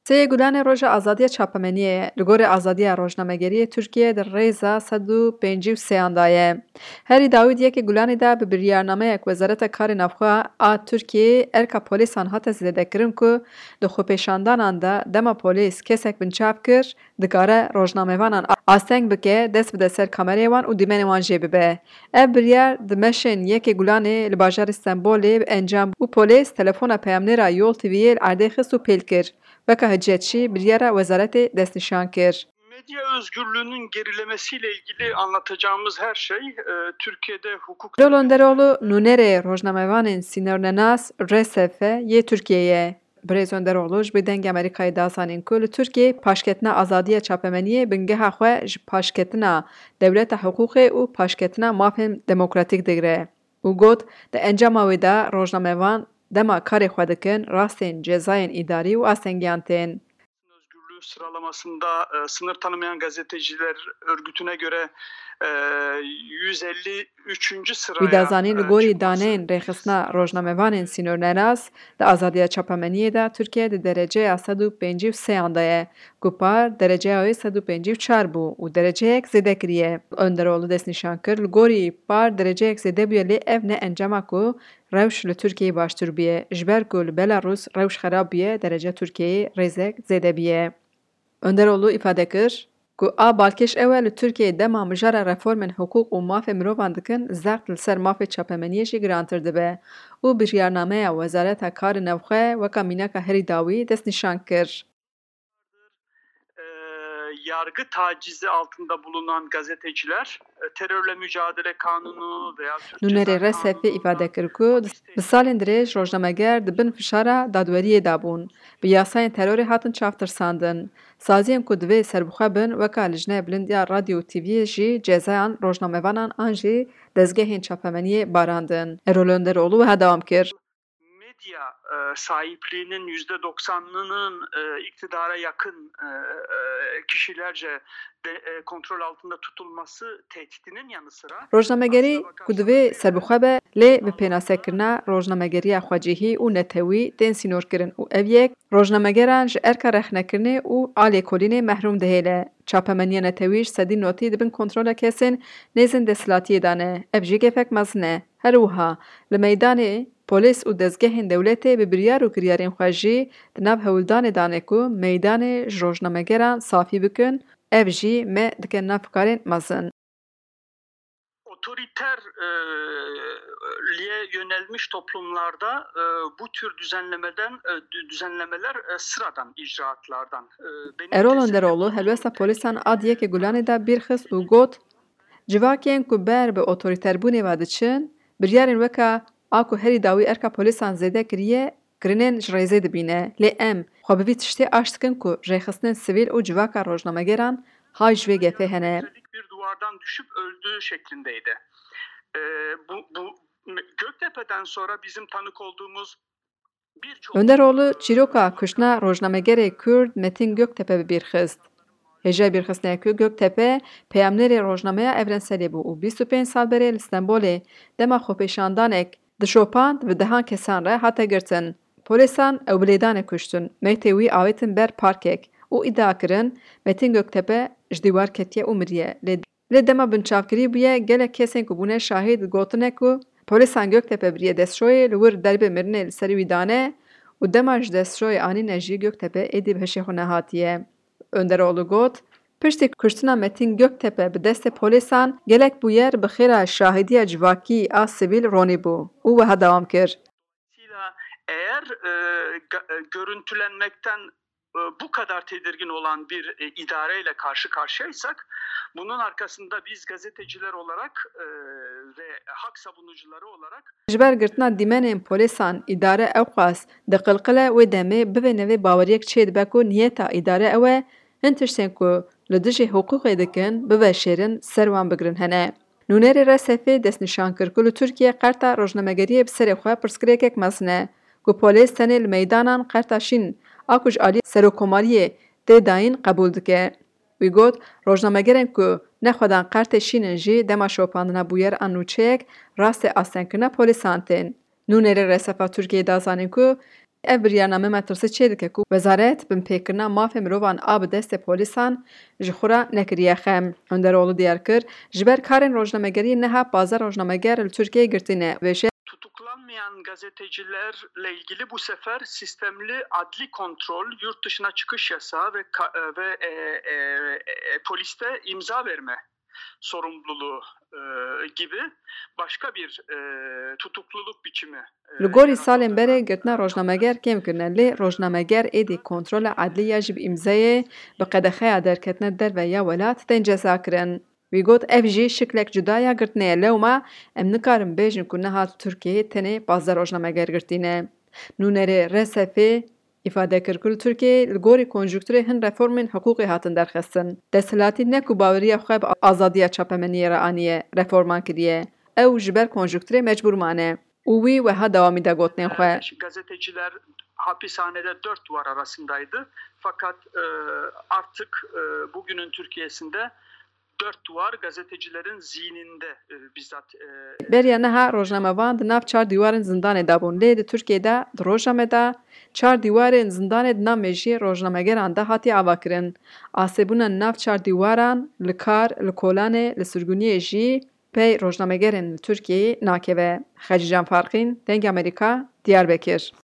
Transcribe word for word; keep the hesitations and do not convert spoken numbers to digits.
Sê Gulanê roja azadiya çapemeniyê ye. Li gorî azadiya rojnamegeriyê Tirkiye di rêza sed û pêncî û sêyan de ye. Herî dawî di yekê Gulanê de bi biryarnameyek Wezareta Karê Navxwe a Tirkiyeyê erka polîsan hate zêdekirin ku di xwepêşandanan de dema polîs kesek binçav kir, dikare rojnamevanan asteng bike, dest bide ser kamereyê wan û dîmenê wan jê bibe. Ev biryar di meşên yekê Gulanê li bajarê Stenbolê bi encam bû. Polîs telefona peyamnêra Yol T V'yê li erdê xist û pêl kir. Weke hiciyetçî biryara wezaretê destnîşan kir. Medya özgürlüğünün gerilemesiyle ilgili anlatacağımız her şey, e, Türkiye'de hukuk Erol Önderoğlu nûnerê rojnamevanên sînornenas R S F yê Tirkiyeyê ye. Birêz Önderoğlu ji bo Dengê Amerîkayê da zanîn ku li Tirkiyeyê paşketina azadiya çapemeniyê bingeha xwe ji paşketina dewleta hiqûqê û paşketina mafên demokratîk digire û got, di encama wê de rojnamevan dema karê xwe dikin, rastên cezayên îdarî û astengiyan tên. Özgürlüğü sıralamasında, e, sınır tanımayan gazeteciler örgütüne göre, e, yüz elli üçüncü sıraya, Wî da zanîn, li e, gorî çıkması daneyên rêxistina rojnamevanên sînornenas di azadiya çapemeniyê de Tirkiye di dereceya sed û pêncî û sêyan de ye, ku par dereceya wê sed û pêncî û çar bû û dereceyek zêde kiriye. Önderoğlu destnîşan kir, li gorî par dereceyek zêde bûye, lê ev ne encama ku rewş li Tirkiyeyê baştir bûye, ji ber ku li Belarûs rewş xerab bûye, derece Tirkiyeyê rêzek zêde bûye. Önderoğlu îfade kir ku a balkêş ew e, li Tirkiyeyê dema mijara reformên hiqûq û mafê mirovan dikin, zext li ser mafê çapemeniyê jî girantir dibe û biryarnameya Wezareta Karê Navxwe weke mînaka herî dawî destnîşan kir. E, yargı tacizi altında bulunan gazeteciler, e, terörle mücadele kanunu veya Türk Ceza Nûnerê R S F îfade kir ku di salên dirêj rojnameger di bin fişara dadweriyê de bûn, bi yasayên terorê hatin çavtirsandin. Saziyên ku divê serbixwe bin, weka Lijneya Bilind ya Radyo û T V'yê jî cezayan rojnamevanan an jî dezgehên çapemeniyê barandin. Erol Önderoğlu wiha dewam kir. Medya, e, sahipliğinin yüzde doksanının, e, iktidara yakın, e, e, kişilerce de, e, kontrol altında tutulması tehdidinin yanı sıra Rojnamegerî ku divê serbixwe be, lê bi pênasekirina rojnamegeriya xwecihî û netewî tên sînorkirin û ev yek rojnamegeran ji erka rexnekirinê û alêkolînê mehrûm dihêle. Çapemeniya netewî ji sedî notî di bin kontrola kesên nêzên desthilatiyê de ne. Ev jî gefek mezin e. Her wiha li meydanê polîs û dezgehên dewletê bi biryar û kiryarên xwe jî di nav hewldanê de ne ku meydanê ji rojnamegeran safî bikin, ev jî me dike nav karên mezin. Otoriter, e, liğe yönelmiş toplumlarda, e, bu tür düzenlemeden, e, dü-, düzenlemeler, e, sıradan icraatlardan. E, benim Erol Önderoğlu helwesta polîsan a di yekê Gulanê de bîr xist û got, civakên ku ber bi otorîterbûnê ve diçin, biryarên weke a ku herî dawî erka polîsan zêde kiriye, kirinên ji rêzê dibîne. Lê em xwe bi vî tiştê aş dikin ku rêxistinên sivîl û civaka rojnamegeran hay ji vê gefê hene. Üstelik bir duvardan düşüp öldüğü şeklindeydi. E, bu, bu Göktepe'den sonra bizim tanık olduğumuz Önderoğlu çîroka kuştina rojnamegerê Kurd Metin Göktepe bi bîr xist. Hêja bîrxistinê ku Göktepe peyamnêrê rojnameya Evrenselê bû û bîst û pênc sal berê li Stenbolê dema xwepêşandanek dişopand, bi dehan kesan re hate girtin. Polîsan ew bi lêdanê kuştin. Meytê wî avêtin ber parkek û îdia kirin Metin Göktepe ji dîwar ketiye û miriye. Lê Lê dema binçavkirî bûye, gelek kesên ku bûne şahîd gotine ku polîsan Göktepe biriye destşoyê, li wir derbê mirinê li ser wî dane û dema ji destşoyê anîne jî Göktepe êdî bi hişê xwe nehatiye. Önderoğlu got, piştî kuştina Metin Göktepe bi destê polîsan gelek bûyer bi xêra şahîdiya civakî a sivîl ronîbû û wiha dewam kir. Dolayısıyla eğer, e, ga-, e, görüntülenmekten, e, bu kadar tedirgin olan bir, e, idareyle karşı karşıyaysak, bunun arkasında biz gazeteciler olarak, e, ve hak savunucuları olarak Ji ber girtina dîmenên polîsan îdare ewqas diqilqile, wê demê bivê nevê baweriyek çêdibe ku niyeta îdare ew e, hin tiştên ku li dijî hiqûqê dikin, biveşêrin, ser wan bigirin hene. Nûnerê R S F'ê destnîşan kir ku li Tirkiye qerta rojnamegeriyê bi serê xwe pirsgirêkek mezin e, ku polîs tenê li meydanan qerta şîn a ku ji alî serokkomariyê tê dayîn qebûl dike. Wî got, rojnamegerên ku nexwedan qertê şîn in jî dema şopandina bûyer an nûçeyek rastê astengkirina polîsan tên. Nûnerê R S F'a Tirkiyeyê da zanîn ku ev biryarname metirsî çêdike ku wezaret binpêkirina mafê mirovan a bi destê polîsan ji xwe re nekiriye xem. Önderoğlu diyar kir, ji ber karên rojnamegeriyê niha pazdeh rojnameger li Tirkiyeyê girtî ne. Vêşe Tutuklanmayan gazetecilerle ilgili bu sefer sistemli adli kontrol, yurt dışına çıkış yasağı ve ka- ve e, e, e, poliste imza verme sorumluluğu e, gibi başka bir e, tutukluluk biçimi. e, Li gorî yaratıldı. salên berê girtina rojnameger kêm kirine, lê rojnameger êdî kontrola edlî ya ji bi îmzeyê bi qedexeya derketina derve ya welat tên cezakirin. Wî got, ev jî şiklek cuda ya girtinê ye. Lewma em nikarin bêjin ku niha li Tirkiyeyê tenê pazdeh rojnameger girtî ne. Nûnerê R S F'ê îfade kir ku li Tirkiyeyê li gorî konjukturê hin reformên hiqûqê hatin derxistin. Desthilatî ne ku baweriya xwe bi azadiya çapemeniyê re aniye, reforman kiriye. Ew ji ber konjukturê mecbûr mane. Û wî weha dewamî da gotinên xwe. Gazeteciler hapishanede dört duvar arasındaydı. Fakat e, artık e, bugünün Türkiye'sinde dört duvar gazetecilerin zihninde e, bizzat e, Beriya niha rojnamevan di nav çar dîwarên zindanê de bûn. Lê di Tirkiyê de di roja me de çar dîwarên zindanê di nav mejiyê rojnamegeran de hatiye avakirin. Asêbûna nav çar dîwaran li kar, li kolanê, li sirgûniyê jî pey rojnamegerên li Tirkiyeyê nakeve. Xecîcan Farqîn, Dengê Amerîka, Diyarbekir.